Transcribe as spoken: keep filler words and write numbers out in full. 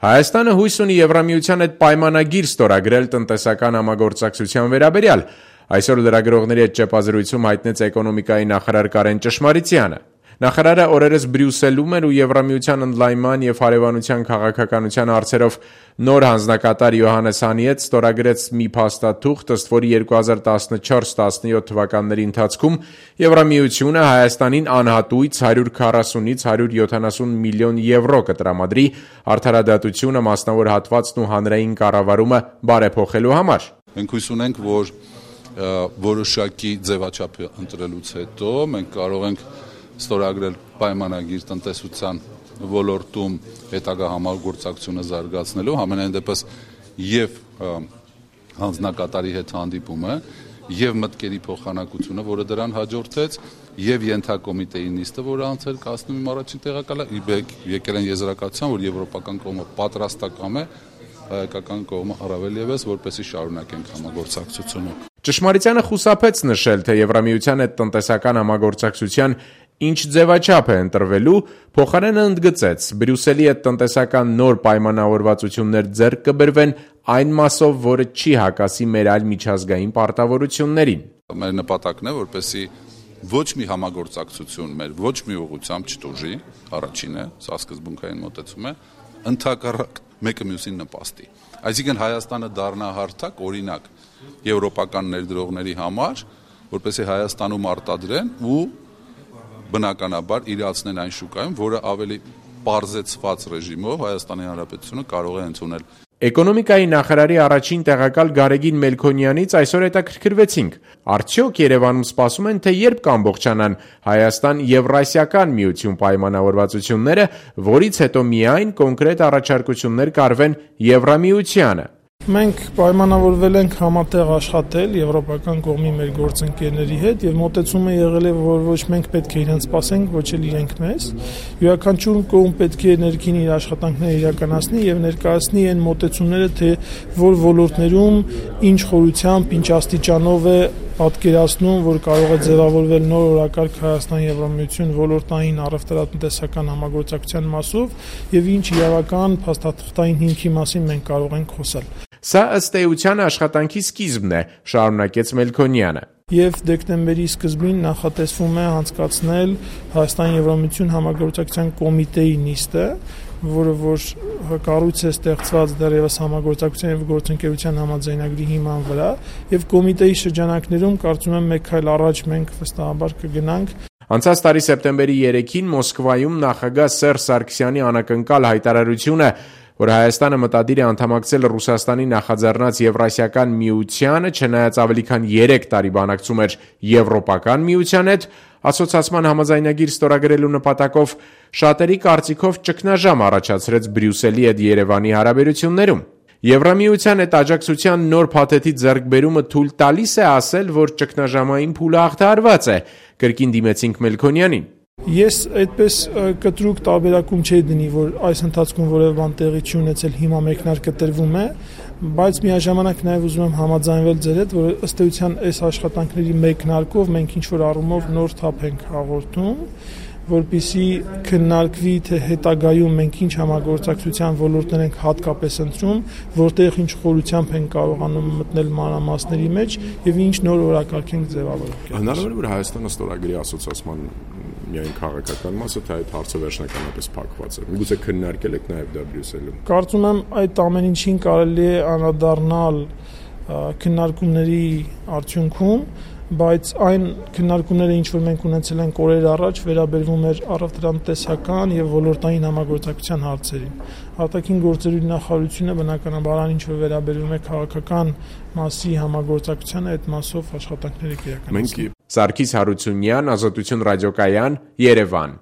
Հայաստանը հույս ունի Եվրամիության հետ պայմանագիր ստորագրել տնտեսական համագործակցության վերաբերյալ։ Այսօր լրագրողների հետ ճեպազրույցում հայտնեց էկոնոմիկայի նախարար Կարեն Ճշմարիցյանը։ Նախարարը օրերս Բրյուսելում էր ու Եվրամիության ընդլայնման և հարևանության քաղաքականության հարցերով նոր հանձնակատար Յոհաննես Հանի հետ ստորագրեց մի փաստաթուղթ, ըստ որի երկու հազար տասնչորս տասնյոթ թվականների ընթացքում Եվրամիությունը Հայաստանին անհատույց հարյուր քառասունից հարյուր յոթանասուն միլիոն եվրո կտրամադրի արդարադատությունը, մասնավոր հատվածն ու հանրային կառավարումը բարեփոխելու համար։ Մենք հույս ունենք, որ որոշակի ձևաչափ ընտրելուց հետո մենք կարող ենք ստորագրել պայմանագիր տնտեսության ոլորտում հետագա համագործակցությունը զարգացնելու, համենայն դեպս եւ հանձնակատարի հետ հանդիպումը եւ մտքերի փոխանակությունը, որը դրան հաջորդեց, եւ ենթակոմիտեի նիստը, որը անցել կազմում իմ առաջին տեղակալը, եկել են եզրակացության, որ եվրոպական կողմը պատրաստական է, հայկական կողմը առավել եւս, որպեսզի շարունակենք համագործակցությունը։ Ճշմարիցյանը խուսափեց նշել, թե Եվրամիության հետ տնտեսական համագործակցության ինչ ձևաչափ է ընտրվելու, փոխարենը ընդգծեց, Բրյուսելի հետ տնտեսական նոր պայմանավորվածություններ ձեռք կբերվեն այն մասով, որը չի հակասի մեր այլ միջազգային պարտավորություններին։ Մեր նպատակն է, որպեսզի ոչ մի համագործակցություն մեր ոչ մի ուղղությամբ չտուժի, առաջինը, սա սկզբունքային մոտեցում է, ընդհակառակ մեկը մյուսին նպաստի։ Այսինքն Հայաստանը դառնա հարթակ, օրինակ, եվրոպական ներդրողների համար, որպեսզի Հայաստանում արտադրեն ու բնականաբար իրացնեն այն շուկայում, որը ավելի պարզեցված ռեժիմով Հայաստանի Հանրապետությունը կարող է ընդունել։ Էկոնոմիկայի նախարարի առաջին տեղակալ Գարեգին Մելքոնյանից այսօր հետաքրքրվեցինք։ Արդյոք Երևանում սպասում են, թե երբ կամբողջանան Հայաստան-Եվրասիական միություն պայմանավորվածությունները, որից հետո միայն կոնկրետ առաջարկություններ կարվեն Եվրամիությանը։ Մենք պայմանավորվել ենք համատեղ աշխատել եվրոպական կողմի մեր գործընկերների հետ եւ մոտեցումը եղել է, որ ոչ մենք պետք է իրենց սպասենք, ոչ էլ իրենք մեզ։ Յուրաքանչյուր կողմ պետք է ներքին իր աշխատանքները իրականացնի եւ ներկայացնի այն մոտեցումները, թե որ ոլորտներում ինչ խորությամբ, ինչ աստիճանով է պատկերացնում, որ կարող է ձևավորվել նոր օրակարգ Հայաստան-Եվրամիություն ոլորտային առևտրատնտեսական համագործակցության մասով եւ ինչ իրավական փաստաթղթային հիմքի մասին մենք կարող ենք խոսալ։ Սա ըստ էության աշխատանքի սկիզբն է, շարունակեց Մելքոնյանը։ Եվ դեկտեմբերի սկզբին նախատեսվում է անցկացնել Հայաստան-Եվրամիություն համագործակցության կոմիտեի նիստը, որը որ կառույց է ստեղծված դեռևս համագործակցության եւ գործընկերության համաձայնագրի հիման վրա, եւ կոմիտեի շրջանակներում կարծում եմ մեկ այլ առաջ մենք վստահաբար կգնանք։ Անցած տարի սեպտեմբերի երեքին Մոսկվայում նախագահ Սերժ Սարգսյանի անակնկալ հայտարարությունը, որ Հայաստանը մտադիր է անդամակցել Ռուսաստանի նախաձեռնած Եվրասիական միությանը, չնայած ավելի քան երեք տարի բանակցում էր Եվրոպական միության հետ, ասոցիացման համաձայնագիր ստորագրելու նպատակով շատերի կարծիքով ճգնաժամ առաջացրեց Բրյուսելի հետ Երևանի հարաբերություններում։ Եվրամիության հետ աջակցության նոր փաթեթի ձեռքբերումը թույլ տալիս է ասել, որ ճգնաժամային փուլը հաղթահարված է, կրկին դիմեցինք Մելքոնյանին։ Ես այդպես կտրուկ տարբերակում չէի դնի, որ այս ընթացքում որևէ բան տեղի չի ունեցել, հիմա մեկնարկը տրվում է, բայց միաժամանակ նաև ուզում եմ համաձայնվել ձեր հետ, որ ըստ էության այս աշխատանքների մեկնարկով մենք ինչ-որ առումով նոր թափ ենք հաղորդում, որպեսզի քննարկվի, թե հետագայում մենք ինչ համագործակցության ոլորտներ ենք հատկապես ընտրում, որտեղ ինչ խորությամբ ենք կարողանում մտնել մանրամասների մեջ եւ ինչ նոր օրակարգ ենք ձևավորել։ Հնարավոր է, որ Հայաստանը ստորագրի ասոցիացման միայն քաղաքական մասը, թե այդ հարցը վերջնականապես փակված է։ Միգուցե քննարկել եք նաև դա Բրյուսելում։ Կարծում եմ այդ ամեն ինչին կարելի է անդրադառնալ քննարկումների արդյունքում, բայց այն քննարկումները, ինչ որ մենք ունեցել ենք օրեր առաջ, վերաբերվում էր առևտրատնտեսական եւ ոլորտային համագործակցության հարցերին։ Արտաքին գործերի նախարարությունը բնականաբար ինչ որ վերաբերվում է քաղաքական մասի համագործակցությանը, այդ մասով աշխատանքները կիրականացնի։ Սարգիս Հարությունյան, Ազատություն ռադիոկայան, Երևան։